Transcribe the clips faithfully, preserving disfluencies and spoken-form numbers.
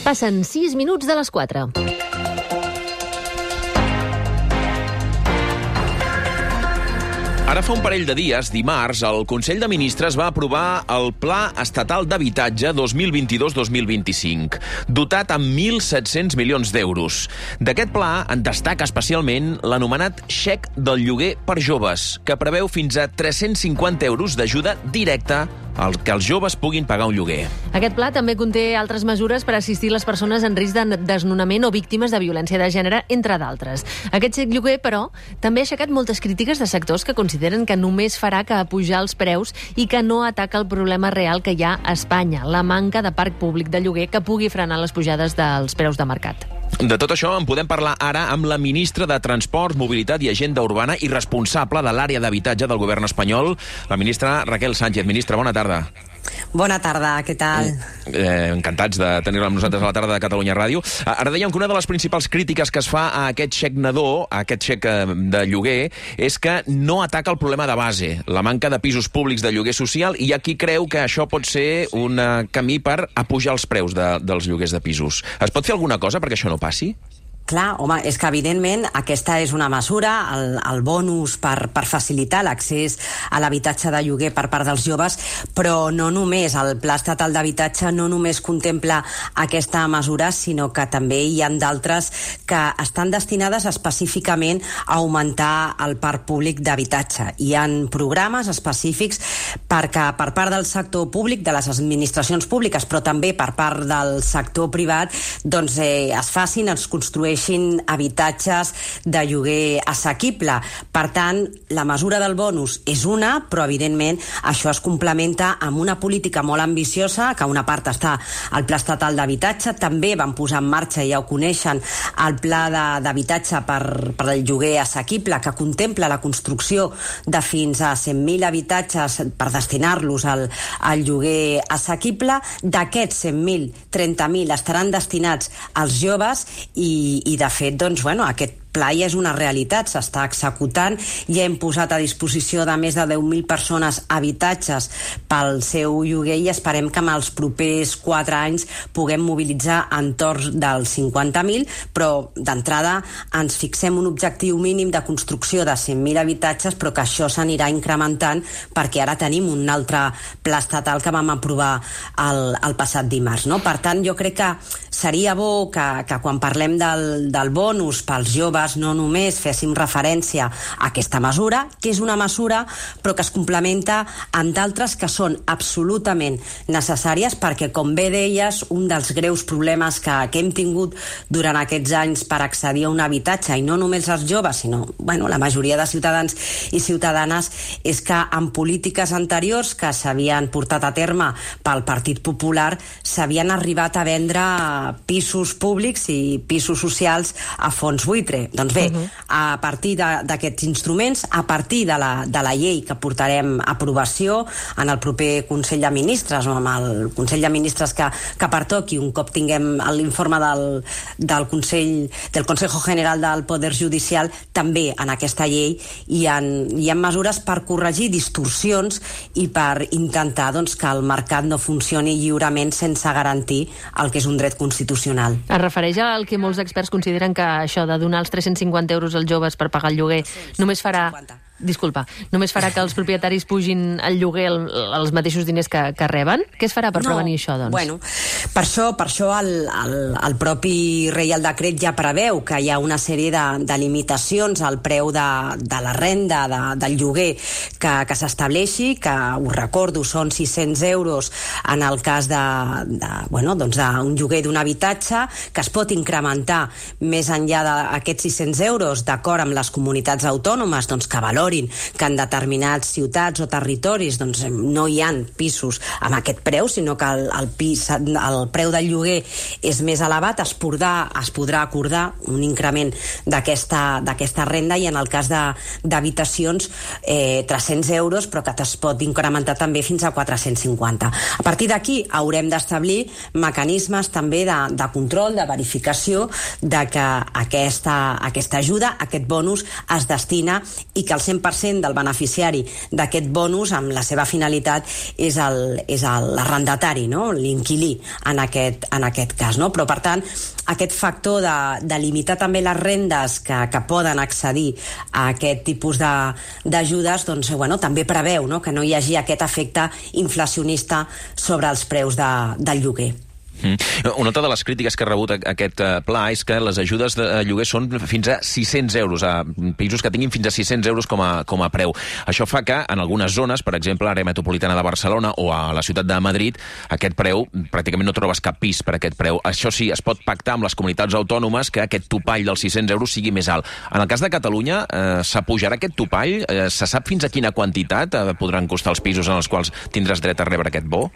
Passen sis minuts de les quatre. Ara fa un parell de dies, dimarts, el Consell de Ministres va aprovar el Pla Estatal d'Habitatge dos mil vint-i-dos dos mil vint-i-cinc, dotat amb mil set-cents milions d'euros. D'aquest pla en destaca especialment l'anomenat xec del lloguer per joves, que preveu fins a tres-cents cinquanta euros d'ajuda directa al que els joves puguin pagar un lloguer. Aquest pla també conté altres mesures per assistir les persones en risc de desnonament o víctimes de violència de gènere, entre d'altres. Aquest xec lloguer, però, també ha aixecat moltes crítiques de sectors que consideren que només farà que pujar els preus i que no ataca el problema real que hi ha a Espanya, la manca de parc públic de lloguer que pugui frenar les pujades dels preus de mercat. De tot això en podem parlar ara amb la ministra de Transports, Mobilitat i Agenda Urbana i responsable de l'àrea d'habitatge del govern espanyol, la ministra Raquel Sánchez. Ministra, bona tarda. Bona tarda, què tal? Eh, encantats de tenir-la amb nosaltres a la tarda de Catalunya Ràdio. Ara dèiem que una de les principals crítiques que es fa a aquest xec nadó, a aquest xec de lloguer, és que no ataca el problema de base, la manca de pisos públics de lloguer social, i hi ha qui creu que això pot ser un camí per apujar els preus de, dels lloguers de pisos. Es pot fer alguna cosa perquè això no passi? Clar, home, és que evidentment aquesta és una mesura, el, el bonus per, per facilitar l'accés a l'habitatge de lloguer per part dels joves, però no només, el Pla Estatal d'Habitatge no només contempla aquesta mesura, sinó que també hi ha d'altres que estan destinades específicament a augmentar el parc públic d'habitatge. Hi ha programes específics perquè per part del sector públic, de les administracions públiques, però també per part del sector privat, doncs eh, es facin, es construeixin habitatges de lloguer assequible. Per tant, la mesura del bonus és una, però evidentment això es complementa amb una política molt ambiciosa, que una part està al Pla Estatal d'Habitatge, també van posar en marxa, ja ho coneixen, el Pla d'Habitatge per, per el lloguer assequible, que contempla la construcció de fins a cent mil habitatges per destinar-los al, al lloguer assequible. D'aquests cent mil, trenta mil estaran destinats als joves i i de fet, doncs, bueno, aquest pla ja és una realitat, s'està executant, ja hem posat a disposició de més de deu mil persones habitatges pel seu lloguer i esperem que en els propers quatre anys puguem mobilitzar entorn dels cinquanta mil, però d'entrada ens fixem un objectiu mínim de construcció de cent mil habitatges, però que això s'anirà incrementant perquè ara tenim un altre pla estatal que vam aprovar el, el passat dimarts, no? Per tant, jo crec que seria bo que, que quan parlem del, del bonus pels joves no només féssim referència a aquesta mesura, que és una mesura però que es complementa amb d'altres que són absolutament necessàries perquè, com bé deies, un dels greus problemes que, que hem tingut durant aquests anys per accedir a un habitatge, i no només els joves, sinó bueno, la majoria de ciutadans i ciutadanes, és que en polítiques anteriors que s'havien portat a terme pel Partit Popular s'havien arribat a vendre pisos públics i pisos socials a fons buitre. Doncs bé, uh-huh. a partir d'aquests instruments, a partir de la, de la llei que portarem a aprovació en el proper Consell de Ministres o amb el Consell de Ministres que, que pertoqui, un cop tinguem l'informe del, del Consell, del Consejo General del Poder Judicial, també en aquesta llei hi ha, hi ha mesures per corregir distorsions i per intentar doncs, que el mercat no funcioni lliurement sense garantir el que és un dret constitucional. Es refereix al que molts experts consideren que això de donar els tres-cents cinquanta euros als joves per pagar el lloguer només farà... Disculpa, només farà que els propietaris pugin el lloguer el, els mateixos diners que, que reben? Què es farà per no, prevenir això, doncs? Bueno, per això, per això el, el, el propi Reial Decret ja preveu que hi ha una sèrie de, de limitacions al preu de, de la renda, de, del lloguer que, que s'estableixi, que, us recordo, són sis-cents euros en el cas de, de, bueno, doncs d'un lloguer d'un habitatge, que es pot incrementar més enllà d'aquests sis-cents euros d'acord amb les comunitats autònomes, doncs que valoren que en determinats ciutats o territoris doncs, no hi ha pisos amb aquest preu, sinó que el, el, pis, el preu del lloguer és més elevat, es podrà, es podrà acordar un increment d'aquesta d'aquesta renda, i en el cas d'habitacions eh, tres-cents euros, però que es pot incrementar també fins a quatre-cents cinquanta. A partir d'aquí haurem d'establir mecanismes també de, de control, de verificació de que aquesta, aquesta ajuda, aquest bonus es destina i que el cent per cent del beneficiari d'aquest bonus, amb la seva finalitat, és l'arrendatari, no? L'inquilí en aquest, en aquest cas. ajudes, no? Però, per tant, aquest factor de, de limitar també les rendes que, que poden accedir a aquest tipus d'ajudes, doncs, bueno, també preveu, no?, que no hi hagi aquest efecte inflacionista sobre els preus de, del lloguer. Mm. Una altra de les crítiques que ha rebut aquest pla és que les ajudes de lloguer són fins a sis-cents euros, a pisos que tinguin fins a sis-cents euros com a, com a preu. Això fa que en algunes zones, per exemple, a l'àrea metropolitana de Barcelona o a la ciutat de Madrid, aquest preu, pràcticament no trobes cap pis per aquest preu. Això sí, es pot pactar amb les comunitats autònomes que aquest topall dels sis-cents euros sigui més alt. En el cas de Catalunya, eh, s'apujarà aquest topall? Eh, se sap fins a quina quantitat eh, podran costar els pisos en els quals tindràs dret a rebre aquest bo?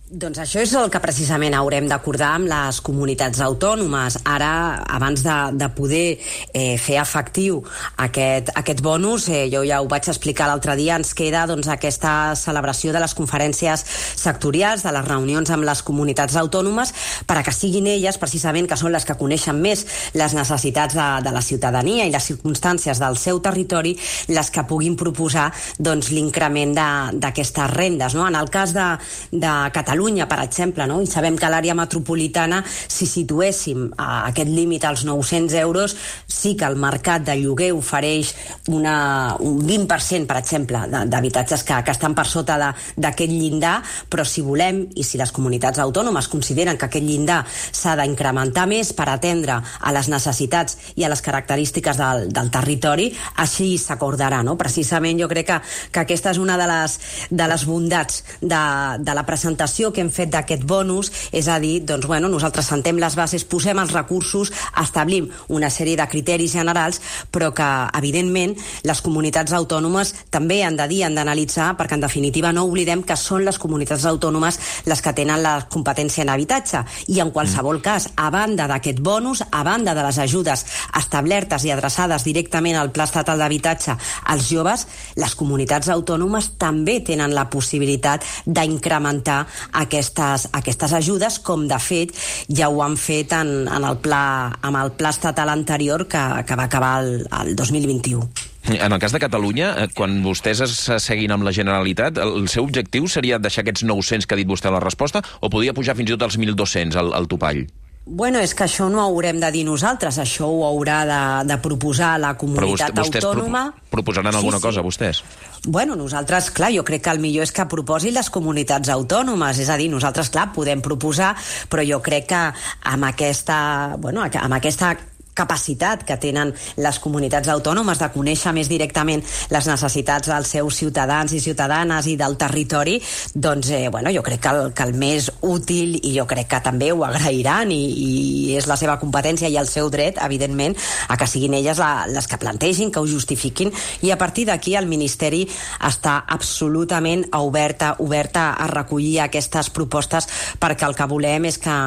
Doncs això és el que precisament haurem d'acordar amb les comunitats autònomes. Ara, abans de, de poder eh, fer efectiu aquest, aquest bonus, eh, jo ja ho vaig explicar l'altre dia, ens queda doncs, aquesta celebració de les conferències sectorials, de les reunions amb les comunitats autònomes, per a que siguin elles, precisament, que són les que coneixen més les necessitats de, de la ciutadania i les circumstàncies del seu territori, les que puguin proposar doncs, l'increment d'aquestes rendes. No? En el cas de, de Catalunya, Catalunya, per exemple, no? I sabem que a l'àrea metropolitana, si situéssim a aquest límit als nou-cents euros, sí que el mercat de lloguer ofereix una, un vint per cent, per exemple, d'habitatges que, que estan per sota d'aquest llindar, però si volem, i si les comunitats autònomes consideren que aquest llindar s'ha d'incrementar més per atendre a les necessitats i a les característiques del, del territori, així s'acordarà, no? Precisament jo crec que, que aquesta és una de les, de les bondats de, de la presentació que hem fet d'aquest bonus, és a dir, doncs, bueno, nosaltres sentem les bases, posem els recursos, establim una sèrie de criteris generals, però que, evidentment, les comunitats autònomes també han de dir, han d'analitzar, perquè, en definitiva, no oblidem que són les comunitats autònomes les que tenen la competència en habitatge. I, en qualsevol cas, a banda d'aquest bonus, a banda de les ajudes establertes i adreçades directament al Pla Estatal d'Habitatge als joves, les comunitats autònomes també tenen la possibilitat d'incrementar Aquestes, aquestes ajudes, com de fet ja ho han fet en, en el pla, amb el pla estatal anterior que, que va acabar el, el dos mil vint-i-u. En el cas de Catalunya, quan vostès es seguin amb la Generalitat, el seu objectiu seria deixar aquests nou-cents que ha dit vostè a la resposta, o podria pujar fins i tot als mil dos-cents al, al topall? Bueno, és que això no ho haurem de dir nosaltres, això ho haurà de, de proposar la comunitat Però vostè, vostès autònoma. Pro, proposaran alguna sí, sí. cosa, vostès? Bueno, nosaltres, clar, jo crec que el millor és que proposin les comunitats autònomes, és a dir, nosaltres, clar, podem proposar, però jo crec que amb aquesta, bueno, amb aquesta capacitat que tenen les comunitats autònomes de conèixer més directament les necessitats dels seus ciutadans i ciutadanes i del territori, doncs eh, bueno, jo crec que el, que el més útil, i jo crec que també ho agrairan, i, i és la seva competència i el seu dret, evidentment, a que siguin elles la, les que plantegin, que ho justifiquin, i a partir d'aquí el Ministeri està absolutament oberta, oberta a recollir aquestes propostes, perquè el que volem és que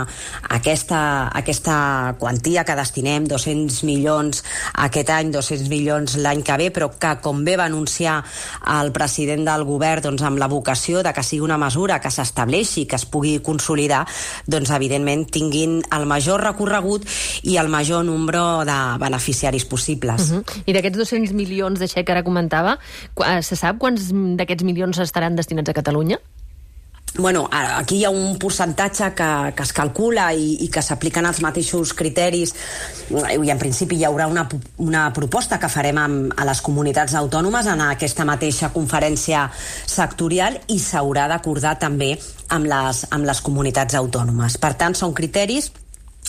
aquesta, aquesta quantia que destinem, dos-cents milions aquest any, dos-cents milions l'any que ve, però que, com bé va anunciar el president del govern, doncs amb la vocació de que sigui una mesura que s'estableixi, que es pugui consolidar, doncs evidentment tinguin el major recorregut i el major nombre de beneficiaris possibles. Uh -huh. I d'aquests dos-cents milions de xec que ara comentava, se sap quants d'aquests milions estaran destinats a Catalunya? Bueno, aquí hi ha un percentatge que, que es calcula i, i que s'apliquen els mateixos criteris, i en principi hi haurà una, una proposta que farem amb, a les comunitats autònomes en aquesta mateixa conferència sectorial, i s'haurà d'acordar també amb les, amb les comunitats autònomes. Per tant, són criteris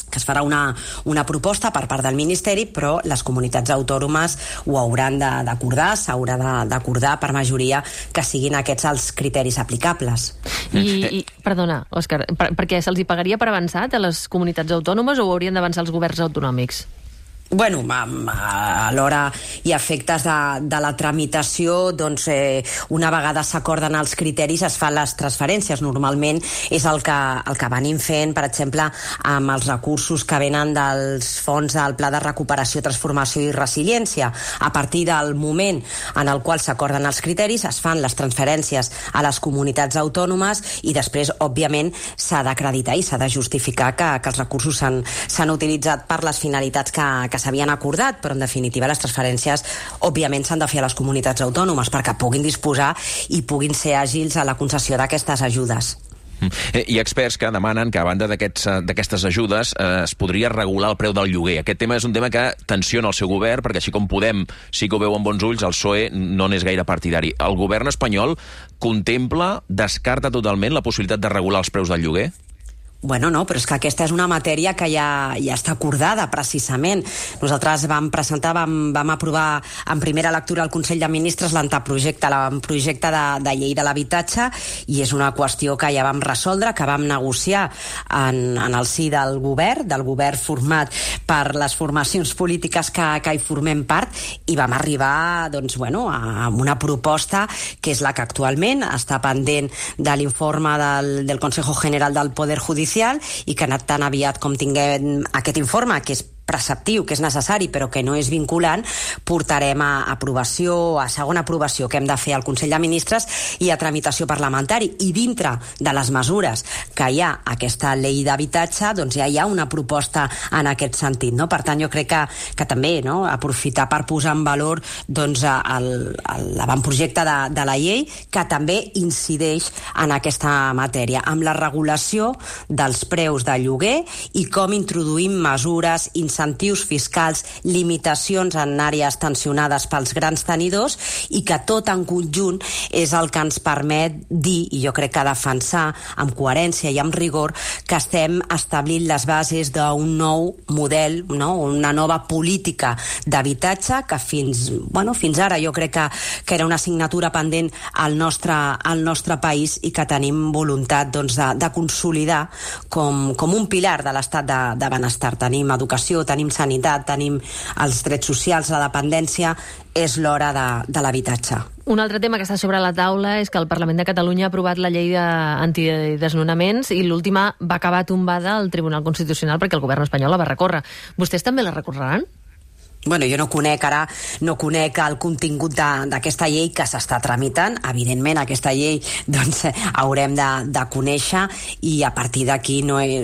que es farà una, una proposta per part del Ministeri, però les comunitats autònomes ho hauran d'acordar, s'haurà d'acordar per majoria que siguin aquests els criteris aplicables. I, i perdona, Òscar, per, perquè se'ls hi pagaria per avançat a les comunitats autònomes o ho haurien d'avançar els governs autonòmics? Bueno, a l'hora i efectes de, de la tramitació, doncs eh, una vegada s'acorden els criteris es fan les transferències. Normalment és el que, el que venim fent, per exemple, amb els recursos que venen dels fons del Pla de Recuperació, Transformació i Resiliència. A partir del moment en el qual s'acorden els criteris es fan les transferències a les comunitats autònomes i després, òbviament, s'ha d'acreditar i s'ha de justificar que, que els recursos s'han utilitzat per les finalitats que, que s'havien acordat, però en definitiva les transferències òbviament s'han de fer a les comunitats autònomes perquè puguin disposar i puguin ser àgils a la concessió d'aquestes ajudes. Hi ha experts que demanen que, a banda d'aquestes ajudes, eh, es podria regular el preu del lloguer. Aquest tema és un tema que tensiona el seu govern, perquè així com Podem sí que ho veu amb bons ulls, el P S O E no n'és gaire partidari. El govern espanyol contempla, descarta totalment la possibilitat de regular els preus del lloguer? Bueno, no, però és que aquesta és una matèria que ja, ja està acordada, precisament. Nosaltres vam presentar, vam, vam aprovar en primera lectura al Consell de Ministres l'anteprojecte, l'avantprojecte de, de llei de l'habitatge, i és una qüestió que ja vam resoldre, que vam negociar en, en el si del govern, del govern format per les formacions polítiques que, que hi formem part, i vam arribar, doncs, bueno, a, a una proposta que és la que actualment està pendent de l'informe del, del Consejo General del Poder Judicial, i que ha anat tan aviat com tinguem aquest informe, que és preceptiu, que és necessari, però que no és vinculant, portarem a aprovació, a segona aprovació que hem de fer al Consell de Ministres i a tramitació parlamentari. I dintre de les mesures que hi ha aquesta llei d'habitatge, doncs ja hi ha una proposta en aquest sentit, no? Per tant, jo crec que, que també, no?, aprofitar per posar en valor, doncs, l'avantprojecte de, de la llei, que també incideix en aquesta matèria, amb la regulació dels preus de lloguer i com introduïm mesures, incentius fiscals, limitacions en àrees tensionades pels grans tenidors, i que tot en conjunt és el que ens permet dir, i jo crec que defensar amb coherència i amb rigor, que estem establint les bases d'un nou model, no?, una nova política d'habitatge que fins, bueno, fins ara jo crec que, que era una assignatura pendent al nostre, al nostre país, i que tenim voluntat, doncs, de, de consolidar com, com un pilar de l'estat de, de benestar. Tenim educació, tenim sanitat, tenim els drets socials, la dependència, és l'hora de, de l'habitatge. Un altre tema que està sobre la taula és que el Parlament de Catalunya ha aprovat la llei antidesnonaments i l'última va acabar tombada al Tribunal Constitucional perquè el govern espanyol la va recórrer. Vostès també la recorreran? Bueno, jo no conec ara, no conec el contingut d'aquesta llei que s'està tramitant. Evidentment, aquesta llei, doncs, haurem de, de conèixer, i a partir d'aquí no he,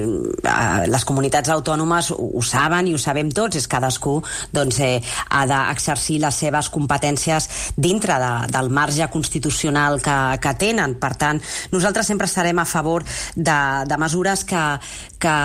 les comunitats autònomes ho, ho saben i ho sabem tots, és cadascú, doncs, eh, ha d'exercir les seves competències dintre de, del marge constitucional que, que tenen. Per tant, nosaltres sempre estarem a favor de, de mesures que, que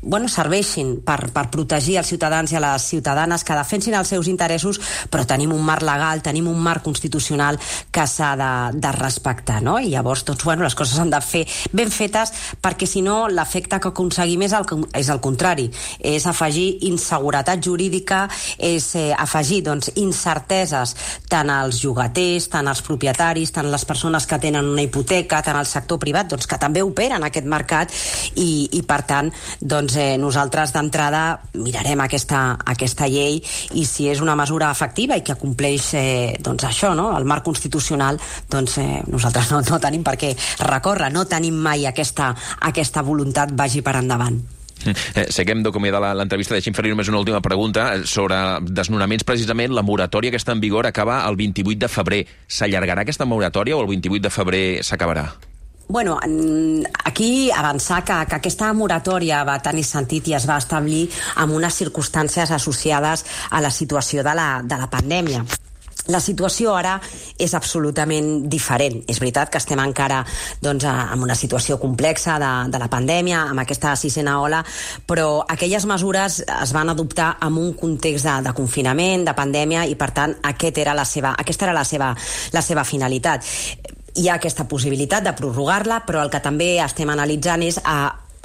bueno, serveixin per, per protegir els ciutadans i a les ciutadanes, que defensin els seus interessos, però tenim un marc legal, tenim un marc constitucional que s'ha de, de respectar, no? I llavors, doncs, bueno, les coses han de fer ben fetes, perquè si no l'efecte que aconseguim és el, és el contrari, és afegir inseguretat jurídica, és eh, afegir, doncs, incerteses tant als llogaters, tant als propietaris, tant les persones que tenen una hipoteca, tant al sector privat, doncs, que també opera en aquest mercat, i, i per tant, doncs, eh, nosaltres d'entrada mirarem aquesta, aquesta llei, i si és una mesura efectiva i que compleix, eh, doncs això, no?, el marc constitucional, doncs eh, nosaltres no, no tenim per què recórrer, no tenim mai aquesta, aquesta voluntat vagi per endavant. Eh, sé que hem d'acomiadar l'entrevista. Deixi'm fer-li només una última pregunta sobre desnonaments. Precisament, la moratòria que està en vigor acaba el vint-i-vuit de febrer. S'allargarà aquesta moratòria o el vint-i-vuit de febrer s'acabarà? Bueno, aquí avançar que, que aquesta moratòria va tenir sentit i es va establir amb unes circumstàncies associades a la situació de la, de la pandèmia. La situació ara és absolutament diferent. És veritat que estem encara, doncs, en una situació complexa de, de la pandèmia, amb aquesta sisena ola, però aquelles mesures es van adoptar en un context de, de confinament, de pandèmia, i per tant aquest era la seva, aquesta era la seva, la seva finalitat. Hi ha aquesta possibilitat de prorrogar-la, però el que també estem analitzant és a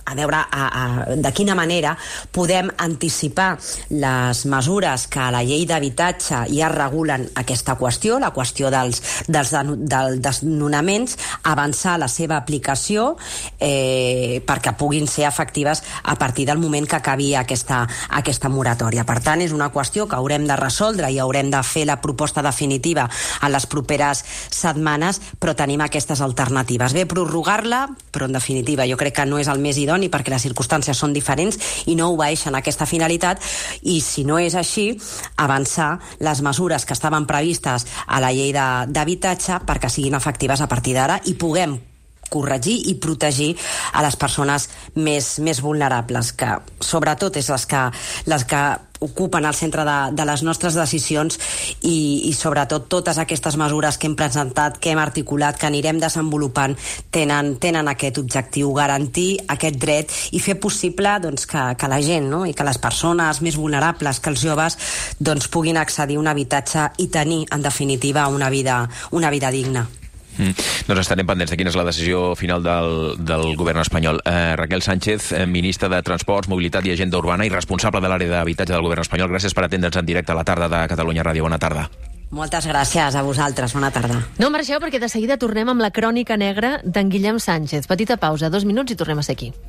a veure a, a, de quina manera podem anticipar les mesures que a la llei d'habitatge ja regulen aquesta qüestió, la qüestió dels, dels, dels desnonaments, avançar la seva aplicació eh, perquè puguin ser efectives a partir del moment que acabi aquesta, aquesta moratòria. Per tant, és una qüestió que haurem de resoldre i haurem de fer la proposta definitiva en les properes setmanes, però tenim aquestes alternatives. Bé, prorrogar-la, però en definitiva jo crec que no és el més idoni, perquè les circumstàncies són diferents i no obeeixen aquesta finalitat, i si no és així, avançar les mesures que estaven previstes a la llei d'habitatge perquè siguin efectives a partir d'ara i puguem corregir i protegir a les persones més, més vulnerables, que sobretot és les que, les que ocupen el centre de, de les nostres decisions i, i sobretot totes aquestes mesures que hem presentat, que hem articulat, que anirem desenvolupant, tenen, tenen aquest objectiu, garantir aquest dret i fer possible doncs, que, que la gent, no? I que les persones més vulnerables, que els joves doncs, puguin accedir a un habitatge i tenir, en definitiva, una vida, una vida digna. Mm. Doncs estarem pendents de quina és la decisió final del, del govern espanyol. Eh, Raquel Sánchez, eh, ministra de Transports, Mobilitat i Agenda Urbana i responsable de l'àrea d'habitatge del govern espanyol. Gràcies per atendre'ns en directe a la tarda de Catalunya Ràdio. Bona tarda. Moltes gràcies a vosaltres. Bona tarda. No marxeu perquè de seguida tornem amb la crònica negra d'en Guillem Sánchez. Petita pausa, dos minuts i tornem a ser aquí.